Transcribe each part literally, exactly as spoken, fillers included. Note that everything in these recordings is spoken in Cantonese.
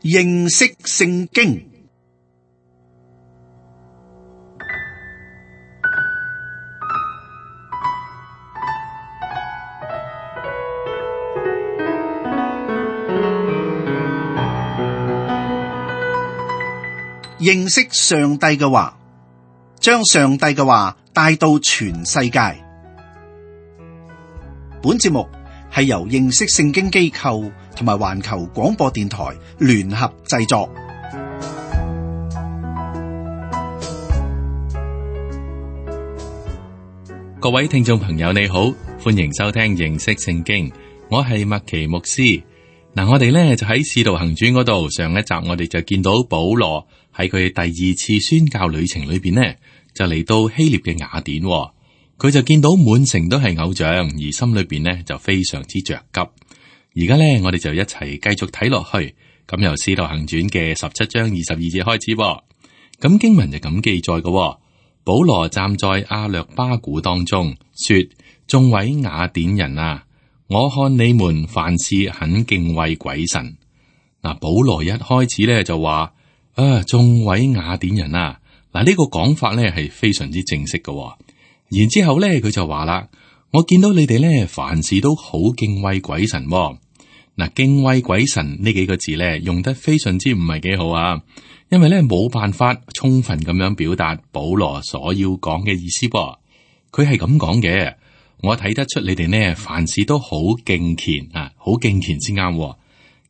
認識聖經。認識上帝嘅話，將上帝嘅話帶到全世界。本節目係由認識聖經機構同埋環球廣播電台聯合製作。各位聽眾朋友，你好，歡迎收聽認識聖經。我係麥奇牧師。嗱，我哋咧就喺使徒行傳嗰度，上一集我哋就見到保羅喺佢第二次宣教旅程裏邊呢，就嚟到希臘嘅雅典，佢就見到滿城都係偶像，而心裏邊呢就非常之着急。而家咧，我哋就一齊繼續睇落去。咁由使徒行傳嘅十七章二十二節開始，咁經文就咁記載嘅。保羅站在亞略巴古當中，說：眾位雅典人啊，我看你們凡事很敬畏鬼神。嗱，保羅一開始咧就話：啊，眾位雅典人啊，嗱、這、呢個講法咧係非常之正式嘅。然之後咧佢就話啦：我見到你哋咧凡事都好敬畏鬼神。嗱，敬畏鬼神呢幾個字咧用得非常之唔係幾好啊，因為咧冇辦法充分咁樣表達保羅所要講嘅意思噃。佢係咁講嘅。我睇得出你哋呢，凡事都好敬虔啊，好敬虔先啱。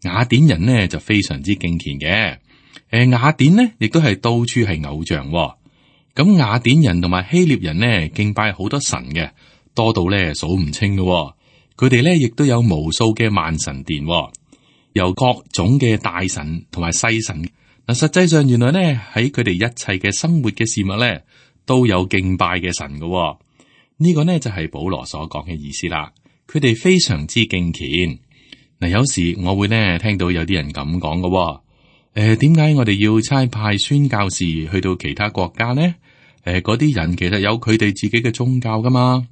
雅典人呢就非常之敬虔嘅。誒，雅典呢亦都係到處係偶像。咁雅典人同埋希臘人呢敬拜好多神嘅，多到咧數唔清嘅。佢哋咧亦都有無數嘅萬神殿，由各種嘅大神同埋細神。嗱，實際上原來呢喺佢哋一切嘅生活嘅事物咧都有敬拜嘅神嘅。呢個呢就係保羅所講嘅意思啦。佢哋非常之敬虔。嗱，有時我會呢聽到有啲人咁講嘅。誒、呃，點解我哋要差派宣教士去到其他國家呢？誒、呃，嗰啲人其實有佢哋自己嘅宗教噶嘛。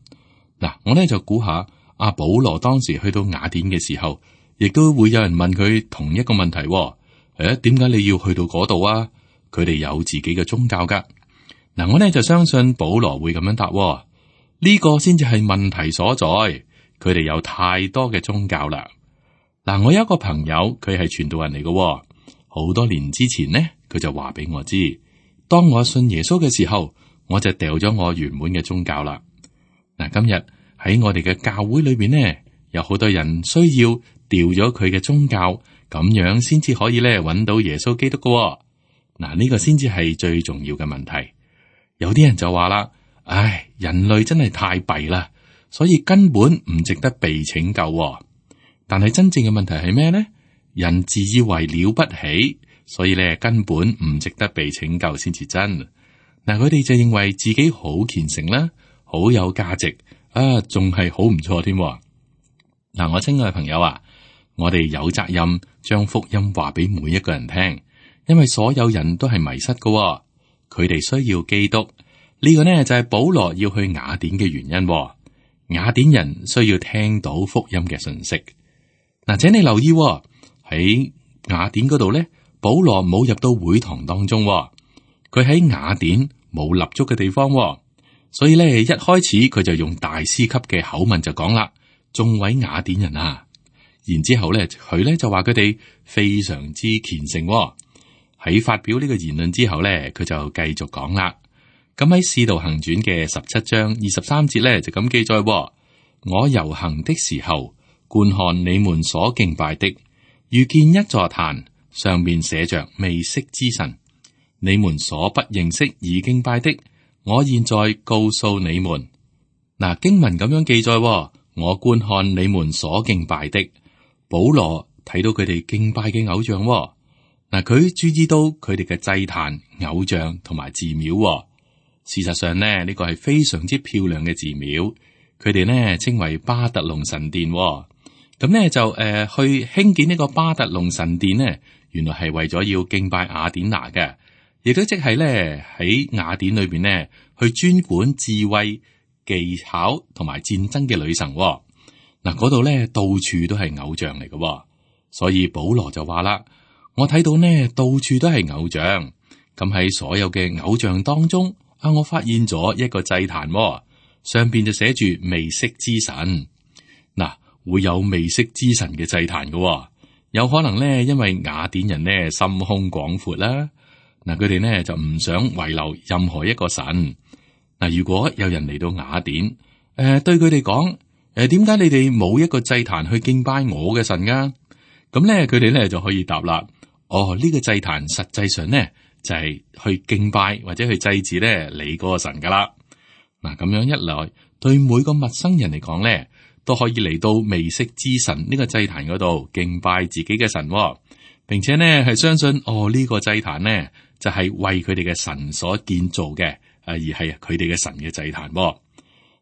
嗱，我呢就估下，阿保羅當時去到雅典嘅時候，亦都會有人問佢同一個問題。誒、呃，點解你要去到嗰度啊？佢哋有自己嘅宗教噶。嗱，我呢就相信保羅會咁樣答。呢個先至係問題所在，佢哋有太多嘅宗教啦。嗱，我有一個朋友，佢係傳道人嚟嘅，好多年之前呢，佢就話俾我知，當我信耶穌嘅時候，我就掉咗我原本嘅宗教啦。嗱，今日喺我哋嘅教會裏邊呢，有好多人需要掉咗佢嘅宗教，咁樣先至可以咧揾到耶穌基督嘅。嗱，呢個先至係最重要嘅問題。有啲人就話啦。唉，人類真係太弊啦，所以根本唔值得被拯救喎。但係真正嘅問題係咩呢？人自以為了不起，所以咧根本唔值得被拯救先至真。嗱，佢哋就認為自己好虔誠啦，好有價值啊，仲係好唔錯添。嗱，我親愛嘅朋友啊，我哋有責任將福音話俾每一個人聽，因為所有人都係迷失㗎喎，佢哋需要基督。呢個呢就係保羅要去雅典嘅原因。雅典人需要聽到福音嘅信息。嗱，請你留意喺雅典嗰度呢，保羅冇入到會堂當中，佢喺雅典冇立足嘅地方，所以呢，一開始佢就用大師級嘅口吻就講啦：眾位雅典人啊！然之後呢，佢呢就話佢哋非常之虔誠。喺發表呢個言論之後呢，佢就繼續講啦。咁喺《使徒行傳》嘅十七章二十三節咧，就咁記載：我遊行的時候，觀看你們所敬拜的，遇見一座壇，上面寫着未識之神。你們所不認識已敬拜的，我現在告訴你們。嗱，經文咁樣記載：我觀看你們所敬拜的。保羅睇到佢哋敬拜嘅偶像，嗱，佢注意到佢哋嘅祭壇、偶像同埋寺廟。事實上呢，呢個係非常之漂亮嘅寺廟，佢哋呢稱為巴特龍神殿。咁呢就誒、呃、去興建呢個巴特龍神殿呢，原來係為咗要敬拜雅典娜嘅，亦都即係咧喺雅典裏邊呢去專管智慧、技巧同埋戰爭嘅女神。嗱，嗰度咧到處都係偶像嚟嘅，所以保羅就話啦：我睇到呢，到處都係偶像。咁喺所有嘅偶像當中，啊，我發現咗一個祭壇，哦，上邊就寫住未識之神。嗱，會有未識之神嘅祭壇嘅，哦，有可能呢，因為雅典人呢心胸廣闊啦。嗱，佢哋呢就唔想遺留任何一個神。嗱，如果有人嚟到雅典，誒、呃，對佢哋講，誒、呃，點解你哋冇一個祭壇去敬拜我嘅神噶？咁咧，佢哋咧就可以答啦。哦，呢、這個祭壇實際上呢，就係、是、去敬拜或者去祭祀咧你嗰個神噶啦。嗱，咁樣一來，對每個陌生人嚟講咧，都可以嚟到未識之神呢個祭壇嗰度敬拜自己嘅神，哦，並且呢係相信哦呢、這個祭壇呢，就係、是、為佢哋嘅神所建造嘅，而係佢哋嘅神嘅祭壇。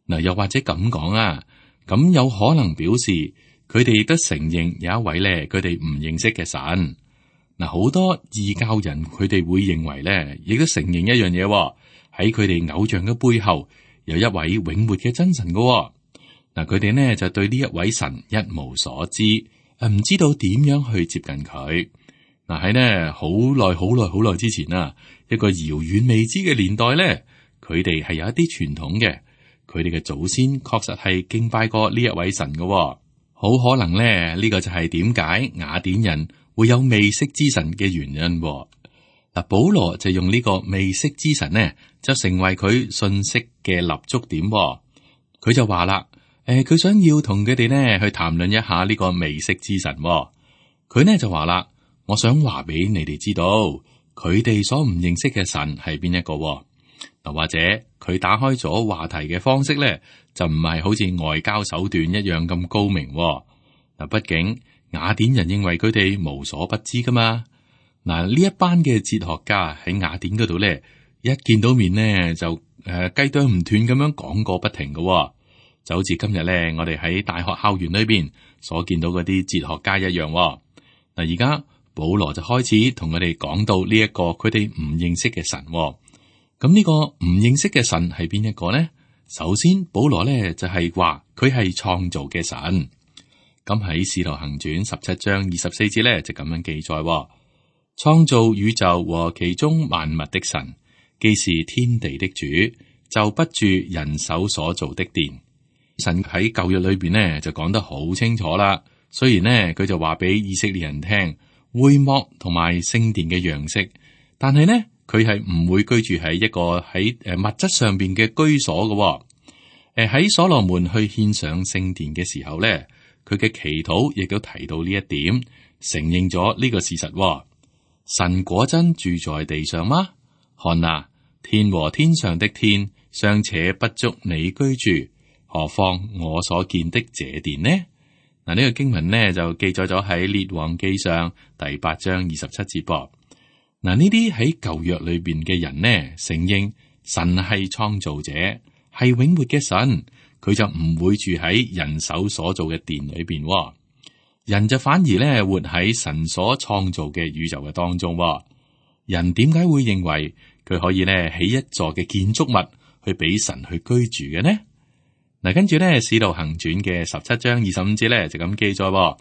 嗱，又或者咁講啊，咁有可能表示佢哋都承認有一位咧，佢哋唔認識嘅神。嗱，好多異教人佢哋會認為咧，亦都承認一樣嘢，喺佢哋偶像嘅背後有一位永活嘅真神噶。嗱，佢哋呢就對呢一位神一無所知，誒，唔知道點樣去接近佢。嗱，喺呢好耐好耐好耐之前啊，一個遙遠未知嘅年代咧，佢哋係有一啲傳統嘅。佢哋嘅祖先確實係敬拜過呢一位神嘅，哦，好可能咧呢，呢個就係點解雅典人會有未識之神嘅原因，哦。嗱，保羅就用呢個未識之神呢，就成為佢信息嘅立足點，哦。佢就話啦，誒、呃，佢想要同佢哋呢去談論一下呢個未識之神，哦。佢呢就話啦，我想話俾你哋知道，佢哋所唔認識嘅神係邊一個，哦。嗱，或者佢打開咗話題嘅方式咧，就唔係好似外交手段一樣咁高明。嗱，畢竟雅典人認為佢哋無所不知噶嘛。嗱，呢一班嘅哲學家喺雅典嗰度咧，一見到面呢，就誒雞啄唔斷咁樣講個不停嘅，就好似今日咧我哋喺大學校園裏邊所見到嗰啲哲學家一樣。嗱，而家保羅就開始同佢哋講到呢一個佢哋唔認識嘅神。咁呢個唔認識嘅神係邊一個呢？首先，保羅咧就係話佢係創造嘅神。咁喺《使徒行傳》十七章二十四節咧就咁樣記載：創造宇宙和其中萬物的神，既是天地的主，就不住人手所造的殿。神喺舊約裏邊呢就講得好清楚啦。雖然呢佢就話俾以色列人聽會幕同埋聖殿嘅樣式，但係呢。佢係唔會居住喺一個喺誒物質上邊嘅居所嘅。誒、呃、喺所羅門去獻上聖殿嘅時候咧，佢嘅祈禱亦都提到呢一點，承認咗呢個事實、哦。神果真住在地上嗎？看啊，天和天上的天尚且不足你居住，何況我所見的這殿呢？嗱，呢個經文呢就記載咗喺列王記上第八章二十七節噃。嗱，呢啲喺舊約裏邊嘅人呢，承認神係創造者，係永活嘅神，佢就唔會住喺人手所造嘅殿裏邊，人就反而咧活喺神所創造嘅宇宙嘅當中。人點解會認為佢可以咧起一座嘅建築物去俾神去居住嘅呢？嗱，跟住咧《使徒行傳》嘅十七章二十五節咧就咁記載，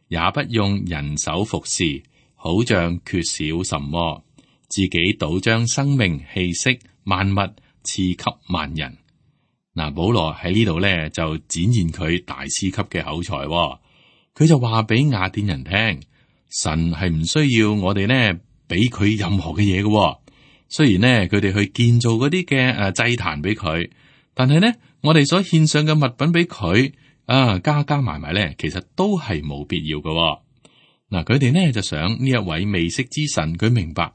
也不用人手服侍。好像缺少什麼，自己倒將生命氣息萬物賜給萬人。嗱，保羅喺呢度咧就展現佢大師級嘅口才，佢就話俾雅典人聽，神係唔需要我哋呢俾佢任何嘅嘢嘅。雖然呢，佢哋去建造嗰啲嘅誒祭壇俾佢，但係呢，我哋所獻上嘅物品俾佢啊，加加埋埋咧，其實都係冇必要嘅。嗱，佢哋呢就想呢一位未識之神，佢明白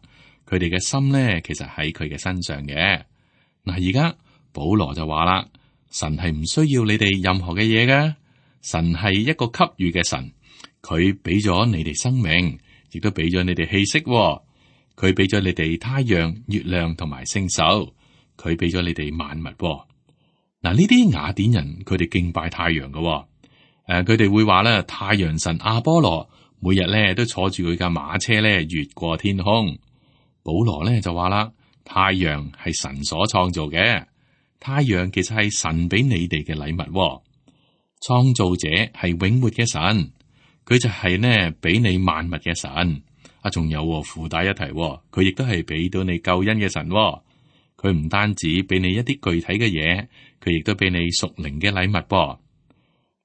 佢哋嘅心呢，其實喺佢嘅身上嘅。嗱，而家保羅就話啦，神係唔需要你哋任何嘅嘢嘅，神係一個給予嘅神，佢俾咗你哋生命，亦都俾咗你哋氣息，佢俾咗你哋太陽、月亮同埋星宿，佢俾咗你哋萬物。嗱，呢啲雅典人佢哋敬拜太陽嘅，誒、呃，佢哋會話咧，太陽神阿波羅。每日咧都坐住佢架馬車咧越過天空。保羅咧就話啦，太陽係神所創造嘅，太陽其實係神俾你哋嘅禮物，哦。創造者係永活嘅神，佢就係呢俾你萬物嘅神。啊，仲有喎附帶一提喎，佢亦都係俾到你救恩嘅神喎。佢唔單止俾你一啲具體嘅嘢，佢亦都俾你屬靈嘅禮物噃。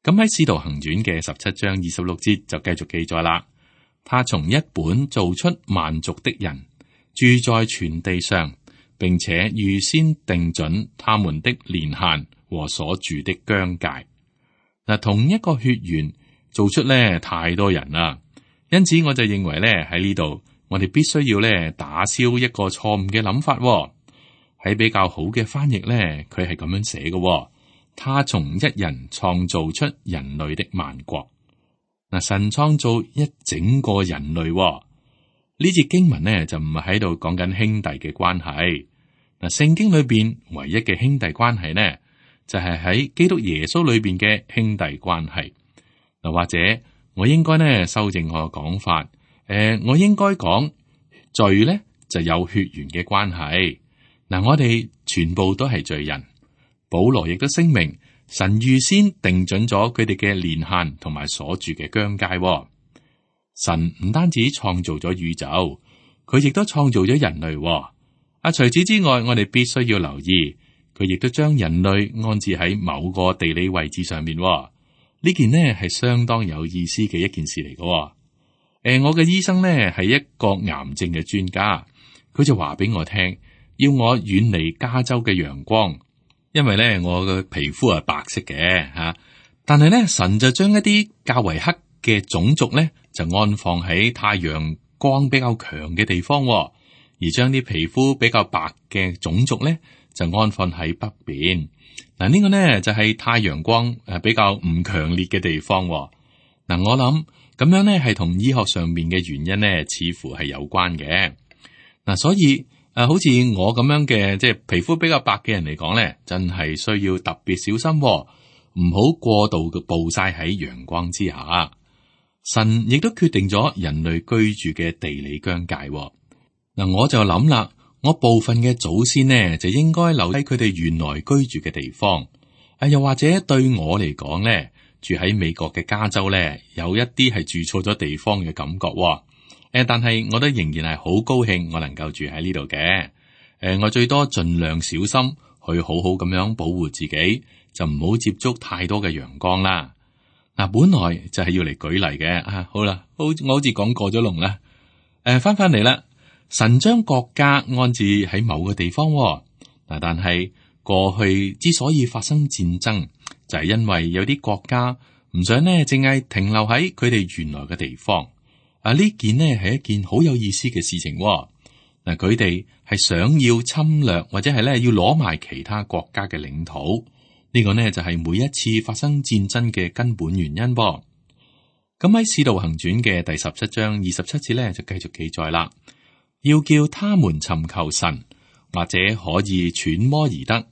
咁喺《使徒行傳》嘅十七章二十六節就繼續記載啦。他從一本造出萬族的人，住在全地上，並且預先定準他們的年限和所住的疆界。嗱，同一個血緣做出咧太多人啦，因此我就認為咧喺呢度，我哋必須要咧打消一個錯誤嘅諗法。喺比較好嘅翻譯咧，佢係咁樣寫嘅：他從一人創造出人類的萬國。嗱，神創造一整個人類。呢節經文呢就唔係喺度講緊兄弟嘅關係。嗱，聖經裏邊唯一嘅兄弟關係呢，就係喺基督耶穌裏邊嘅兄弟關係。嗱，或者我應該呢修正我嘅講法，誒、呃，我應該講罪呢就有血緣嘅關係。嗱，我哋全部都係罪人。保羅亦都聲明，神預先定準咗佢哋嘅年限同埋所住嘅疆界。神唔單止創造咗宇宙，佢亦都創造咗人類。啊，除此之外，我哋必須要留意，佢亦都將人類安置喺某個地理位置上面。呢件呢係相當有意思嘅一件事嚟嘅。誒、呃，我嘅醫生呢係一個癌症嘅專家，佢就話俾我聽，要我遠離加州嘅陽光，因為咧我嘅皮膚係白色嘅吓、啊，但係咧神就將一啲較為黑嘅種族咧就安放喺太陽光比較強嘅地方，而將啲皮膚比較白嘅種族咧就安放喺北邊。嗱、啊，這個、呢個咧就係、是、太陽光誒比較唔強烈嘅地方。嗱、啊，我諗咁樣咧係同醫學上面嘅原因咧似乎係有關嘅。嗱、啊，所以。誒、啊，好似我咁樣嘅，即係皮膚比較白嘅人嚟講咧，真係需要特別小心、哦，唔好過度嘅暴曬喺陽光之下。神亦都決定咗人類居住嘅地理疆界、哦。嗱、啊，我就諗啦，我部分嘅祖先呢，就應該留喺佢哋原來居住嘅地方。啊，又或者對我嚟講咧，住喺美國嘅加州咧，有一啲係住錯咗地方嘅感覺、哦。誒，但係我都仍然係好高興，我能夠住喺呢度嘅。誒，我最多盡量小心去好好咁樣保護自己，就唔好接觸太多嘅陽光啦。嗱，本來就係要嚟舉例嘅。啊，好啦，好，我好似講過咗龍啦。誒，翻翻嚟啦，神將國家安置喺某個地方。嗱，但係過去之所以發生戰爭，就係因為有啲國家唔想呢，淨係停留喺佢哋原來嘅地方。啊！呢件呢係一件好有意思嘅事情、哦。嗱，佢哋係想要侵略或者係咧要攞埋其他國家嘅領土。呢、這個呢就係、是、每一次發生戰爭嘅根本原因噃、哦。咁喺《使徒行傳》嘅第十七章二十七節咧就繼續記載啦。要叫他們尋求神，或者可以揣摩而得，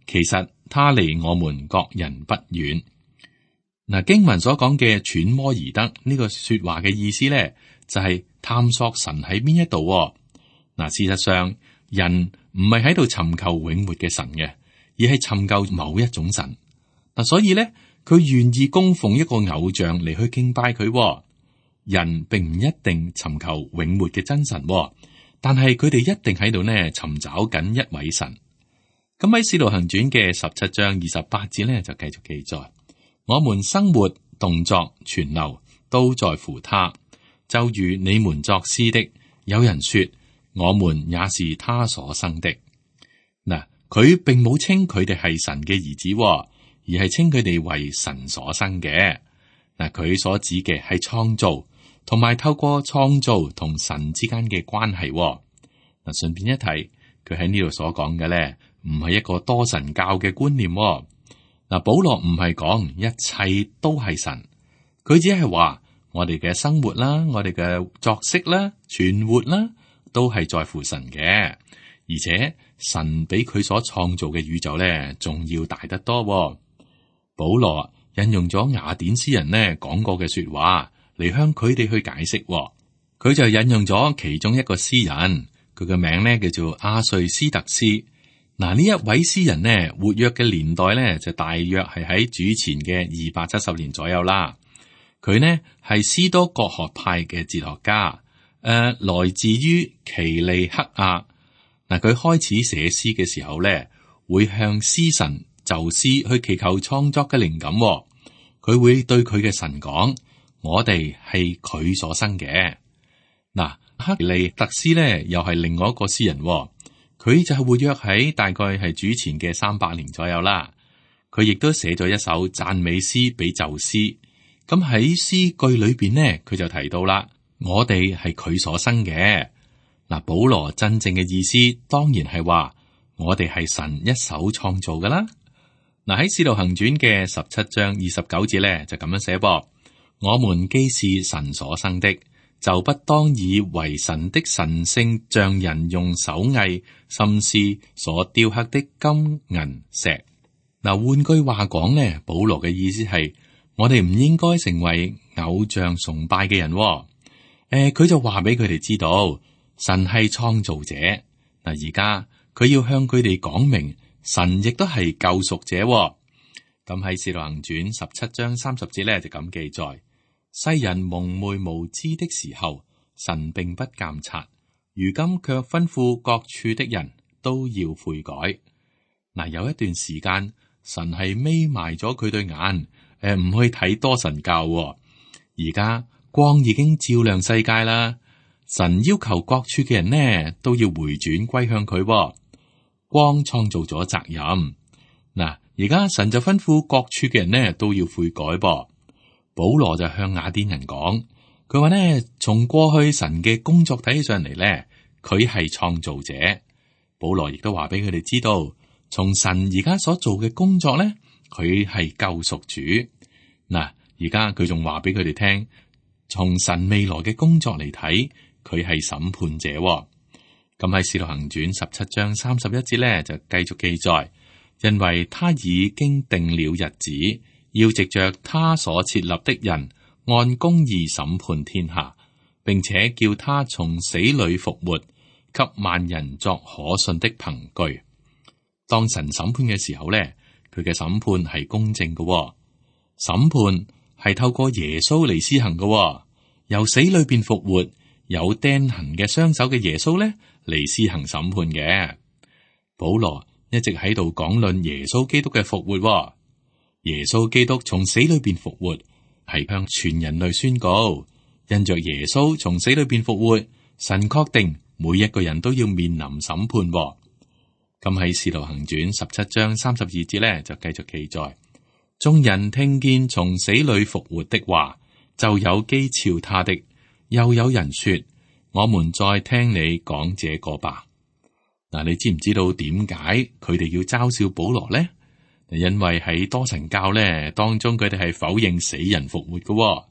其實他離我們各人不遠。嗱，經文所講嘅揣摩而得呢、這個說話嘅意思咧，就係、是、探索神喺邊一度。嗱，事實上人唔係喺度尋求永活嘅神嘅，而係尋求某一種神。嗱，所以咧，佢願意供奉一個偶像嚟去敬拜佢。人並唔一定尋求永活嘅真神，但係佢哋一定喺度呢尋找緊一位神。咁喺《使徒行傳》嘅十七章二十八節咧，就繼續記載。我們生活、動作、存留，都在乎他。就如你們作詩的，有人說，我們也是他所生的。嗱，佢並冇稱佢哋係神嘅兒子，而係稱佢哋為神所生嘅。嗱，佢所指嘅係創造，同埋透過創造同神之間嘅關係。嗱，順便一提，佢喺呢度所講嘅咧，唔係一個多神教嘅觀念。嗱，保羅唔係講一切都係神，佢只係話我哋嘅生活啦，我哋嘅作息啦，存活啦，都係在乎神嘅。而且神比佢所創造嘅宇宙咧，仲要大得多。保羅引用咗雅典詩人呢講過嘅說話嚟向佢哋去解釋。佢就引用咗其中一個詩人，佢嘅名咧叫做阿瑞斯特斯。嗱，呢一位詩人呢，活躍嘅年代咧就大約係喺主前嘅二百七十年左右啦。佢呢係斯多葛學派嘅哲學家，呃，來自於奇利克亞。嗱，佢開始寫詩嘅時候咧，會向詩神宙斯去祈求創作嘅靈感。佢會對佢嘅神講：我哋係佢所生嘅。嗱，克利特斯咧又係另外一個詩人，佢就係活躍喺大概係主前嘅三百年左右啦。佢亦都寫咗一首讚美詩俾宙斯。咁喺詩句裏邊呢，佢就提到啦：我哋係佢所生嘅。嗱，保羅真正嘅意思當然係話我哋係神一手創造噶啦。嗱，喺《使徒行傳》嘅十七章二十九節咧就咁樣寫噃：我們既是神所生的，就不當以為神的神性像人用手藝心思所雕刻的金銀石。嗱，換句話講咧，保羅嘅意思係我哋唔應該成為偶像崇拜嘅人。誒、呃，佢就話俾佢哋知道。神係創造者。嗱，而家佢要向佢哋講明，神亦都係救贖者。咁喺《使徒行傳》十七章三十節咧就咁記載：世人蒙昧無知的時候，神並不監察；如今卻吩咐各處的人都要悔改。嗱，有一段時間，神係眯埋咗佢對眼，誒、呃、唔去睇多神教。而家光已經照亮世界啦。神要求各處嘅人呢都要回轉歸向佢。光創造咗責任。嗱，而家神就吩咐各處嘅人呢都要悔改噃。保羅就向雅典人講，佢話呢，從過去神嘅工作睇起上嚟呢，佢係創造者。保羅亦都話俾佢哋知道，從神而家所做嘅工作呢，佢係救贖主。嗱，而家佢仲話俾佢哋聽，從神未來嘅工作嚟睇，佢係審判者。咁喺《使徒行傳》十七章三十一節咧，就繼續記載，因為他已經定了日子，要藉着他所設立的人，按公義審判天下，並且叫他從死裏復活，給萬人作可信的憑據。當神審判嘅時候咧，佢嘅審判係公正嘅，審判係透過耶穌嚟施行嘅，由死裏邊復活。有釘痕嘅雙手嘅耶穌咧嚟施行審判嘅。保羅一直喺度講論耶穌基督嘅復活。耶穌基督從死裏邊復活，係向全人類宣告，因着耶穌從死裏邊復活，神確定每一個人都要面臨審判。咁喺《使徒行傳》十七章三十二節咧就繼續記載，眾人聽見從死裏復活的話，就有譏誚他的。又有人說，我們再聽你講這個吧。嗱，你知唔知道點解佢哋要嘲笑保羅呢？因為喺多神教咧當中，佢哋係否認死人復活嘅。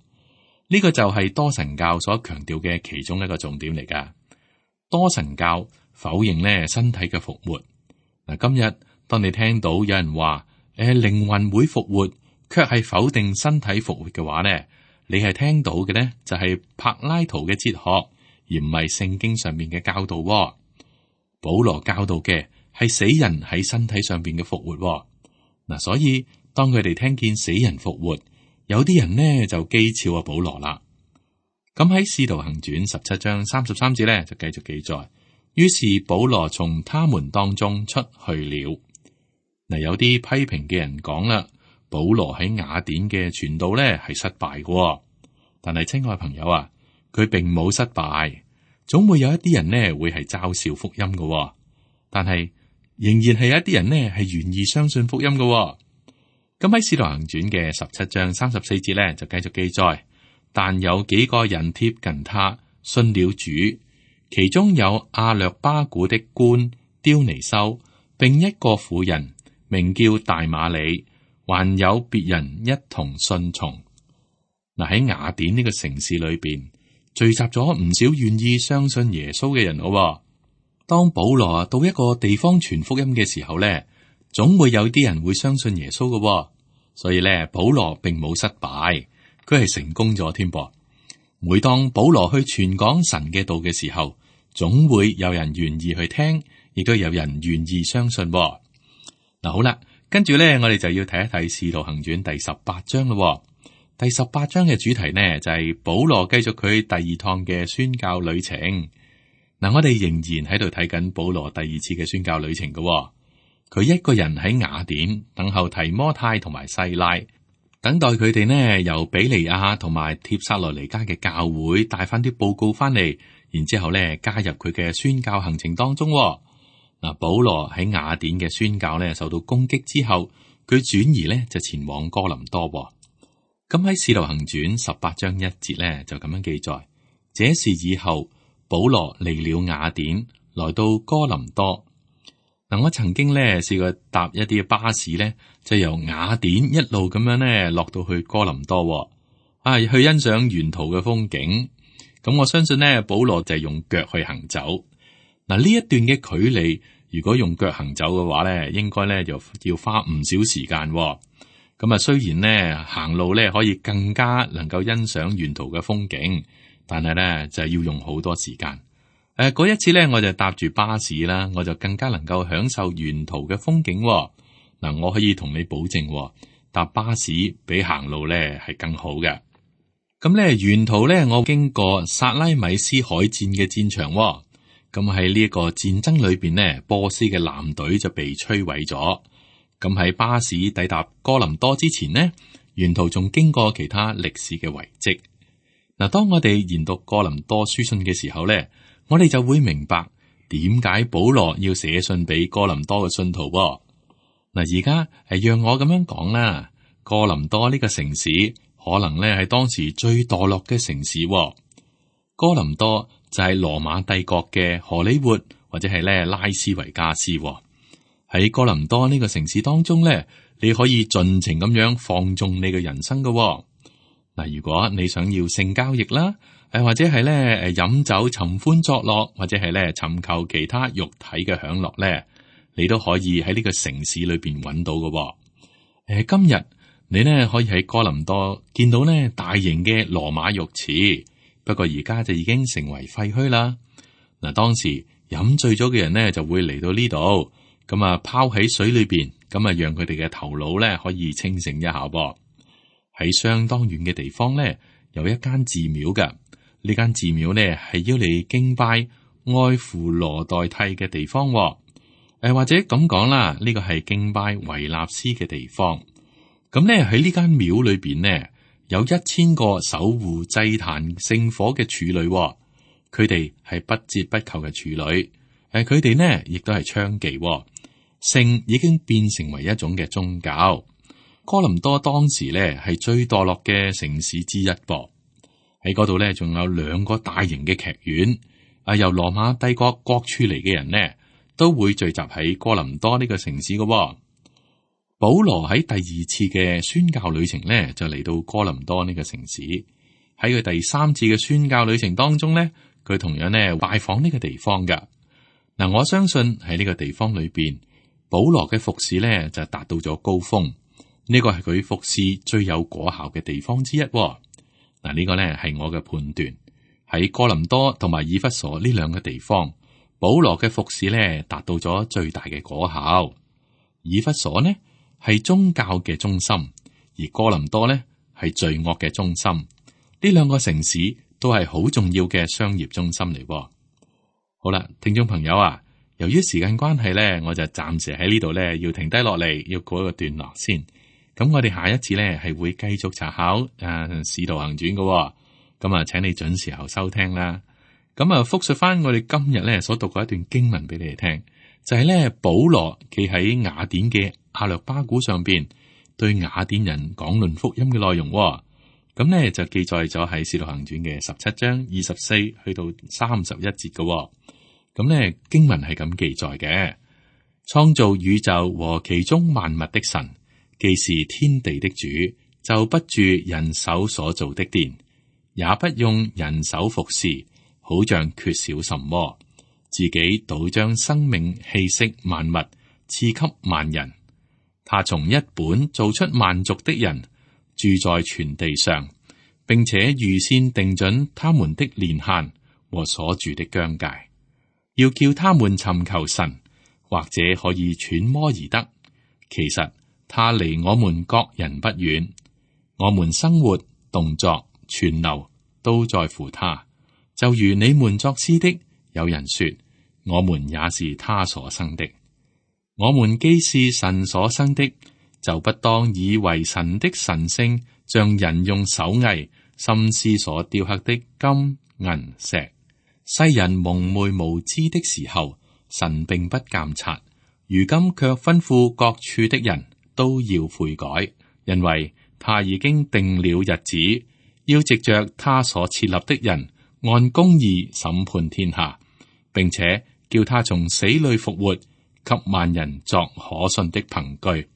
呢個就係多神教所強調嘅其中一個重點嚟噶。多神教否認咧身體嘅復活。嗱，今日當你聽到有人話誒靈魂會復活，卻係否定身體復活嘅話咧，你係聽到嘅呢，就係柏拉圖嘅哲學，而唔係聖經上面嘅教導。保羅教導嘅係死人喺身體上邊嘅復活。嗱，所以當佢哋聽見死人復活，有啲人呢就譏誚阿保羅啦。咁喺《使徒行傳》十七章三十三節咧就繼續記載，於是保羅從他們當中出去了。嗱，有啲批評嘅人講啦，保羅喺雅典嘅傳道咧係失敗嘅，但係親愛朋友啊，佢並冇失敗，總會有一啲人呢會係嘲笑福音嘅，但係仍然係有一啲人呢係願意相信福音嘅。咁喺《使徒行傳》嘅十七章三十四節咧就繼續記載，但有幾個人貼近他，信了主，其中有亞略巴古的官丟尼修，並一個婦人名叫大馬里，還有別人一同信從。嗱，喺雅典呢個城市裏邊聚集咗唔少願意相信耶穌嘅人咯。當保羅到一個地方傳福音嘅時候咧，總會有啲人會相信耶穌嘅，所以咧保羅並冇失敗，佢係成功咗添噃。每當保羅去傳講神嘅道嘅時候，總會有人願意去聽，亦都有人願意相信。嗱，好啦，跟住咧我哋就要睇一睇《使徒行傳》第十八章咯。第十八章嘅主題呢，就係保羅繼續佢第二趟嘅宣教旅程。嗱，我哋仍然喺度睇緊保羅第二次嘅宣教旅程嘅。佢一個人喺雅典等候提摩太同埋西拉，等待佢哋呢由比利亞同埋帖撒羅尼迦嘅教會帶翻啲報告翻嚟，然之後呢加入佢嘅宣教行程當中。嗱，保羅喺雅典嘅宣教呢受到攻擊之後，佢轉移呢就前往哥林多。咁喺《使徒行傳》十八章一節咧，就咁樣記載：這事以後，保羅離了雅典，來到哥林多。嗱，我曾經咧試過搭一啲巴士咧，就由雅典一路咁樣咧落到去哥林多，啊，去欣賞沿途嘅風景。咁我相信咧，保羅就係用腳去行走。嗱，呢一段嘅距離，如果用腳行走嘅話咧，應該咧就要花唔少時間。咁啊，雖然咧行路咧可以更加能夠欣賞沿途嘅風景，但係咧就係要用好多時間。誒、呃，嗰一次咧我就搭住巴士啦，我就更加能夠享受沿途嘅風景。嗱、呃，我可以同你保證，搭巴士比行路咧係更好嘅。咁咧沿途咧我經過薩拉米斯海戰嘅戰場，咁喺呢一個戰爭裏邊呢，波斯嘅艦隊就被摧毀咗。咁喺巴士抵達哥林多之前呢，沿途仲經過其他歷史嘅遺跡。嗱，當我哋研讀哥林多書信嘅時候呢，我哋就會明白點解保羅要寫信俾哥林多嘅信徒。嗱，而家係讓我咁樣講啦，哥林多呢個城市可能咧係當時最墮落嘅城市。哥林多就係羅馬帝國嘅荷里活或者係咧拉斯維加斯。喺哥林多呢個城市當中咧，你可以盡情咁樣放縱你嘅人生噶。嗱，如果你想要性交易啦，誒或者係咧誒飲酒尋歡作樂，或者係咧尋求其他肉體嘅享樂咧，你都可以喺呢個城市裏邊揾到噶。誒，今日你咧可以喺哥林多見到咧大型嘅羅馬浴池，不過而家就已經成為廢墟啦。嗱，當時飲醉咗嘅人咧就會嚟到呢度。咁啊，拋喺水裏邊，咁啊，讓佢哋嘅頭腦咧可以清醒一下噃。喺相當遠嘅地方咧，有一間寺廟嘅。呢間寺廟咧係要你敬拜愛芙羅代替嘅地方。誒、呃，或者咁講啦，呢個係敬拜維納斯嘅地方。咁咧喺呢間廟裏邊呢，有一千個守護祭壇聖火嘅處女，佢哋係不折不扣嘅處女。誒、呃，佢哋呢亦都係娼妓。性已經變成為一種嘅宗教。哥林多當時咧係最墮落嘅城市之一噃。喺嗰度咧仲有兩個大型嘅劇院。啊，由羅馬帝國各處嚟嘅人呢，都會聚集喺哥林多呢個城市嘅。保羅喺第二次嘅宣教旅程咧就嚟到哥林多呢個城市。喺佢第三次嘅宣教旅程當中咧，佢同樣呢拜訪呢個地方噶。嗱，我相信喺呢個地方裏邊，保羅嘅服侍咧就達到咗高峰，呢個係佢服侍最有果效嘅地方之一。嗱，呢個咧係我嘅判斷。喺哥林多同埋以弗所呢兩個地方，保羅嘅服侍咧達到咗最大嘅果效。以弗所呢係宗教嘅中心，而哥林多呢係罪惡嘅中心。呢兩個城市都係好重要嘅商業中心嚟。好啦，聽眾朋友啊，由於時間關係咧，我就暫時喺呢度咧要停低落嚟，要過一個段落先。咁我哋下一次咧係會繼續查考誒《使徒行傳》嘅。咁啊，請你準時候收聽啦。咁啊，複述翻我哋今日咧所讀過一段經文俾你哋聽，就係咧保羅企喺雅典嘅亞略巴古上邊，對雅典人講論福音嘅內容。咁咧就記載咗喺《使徒行傳》嘅十七章二十四去到三十一節嘅。咁咧經文係咁記載嘅：創造宇宙和其中萬物的神，既是天地的主，就不住人手所造的殿，也不用人手服侍，好像缺少什麼，自己倒將生命氣息萬物賜給萬人。他從一本造出萬族的人，住在全地上，並且預先定準他們的年限和所住的疆界，要叫他們尋求神，或者可以揣摩而得。其實他離我們各人不遠，我們生活、動作、存留都在乎他。就如你們作詩的，有人說，我們也是他所生的。我們既是神所生的，就不當以為神的神性像人用手藝心思所雕刻的金銀石。世人蒙昧無知的時候，神並不監察，如今卻吩咐各處的人都要悔改，因為他已經定了日子，要藉着他所設立的人按公義審判天下，並且叫他從死裏復活，給萬人作可信的憑據。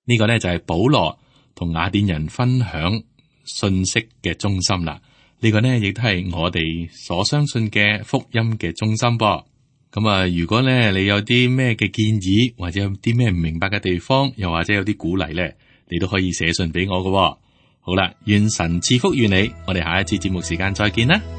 呢、這個呢，就係保羅同雅典人分享信息嘅中心啦。呢、這個呢，亦都係我哋所相信嘅福音嘅中心噃。咁啊，如果呢，你有啲咩嘅建議，或者有啲咩唔明白嘅地方，又或者有啲鼓勵呢，你都可以寫信俾我㗎喎。好啦，願神賜福於你，我哋下一次節目時間再見啦。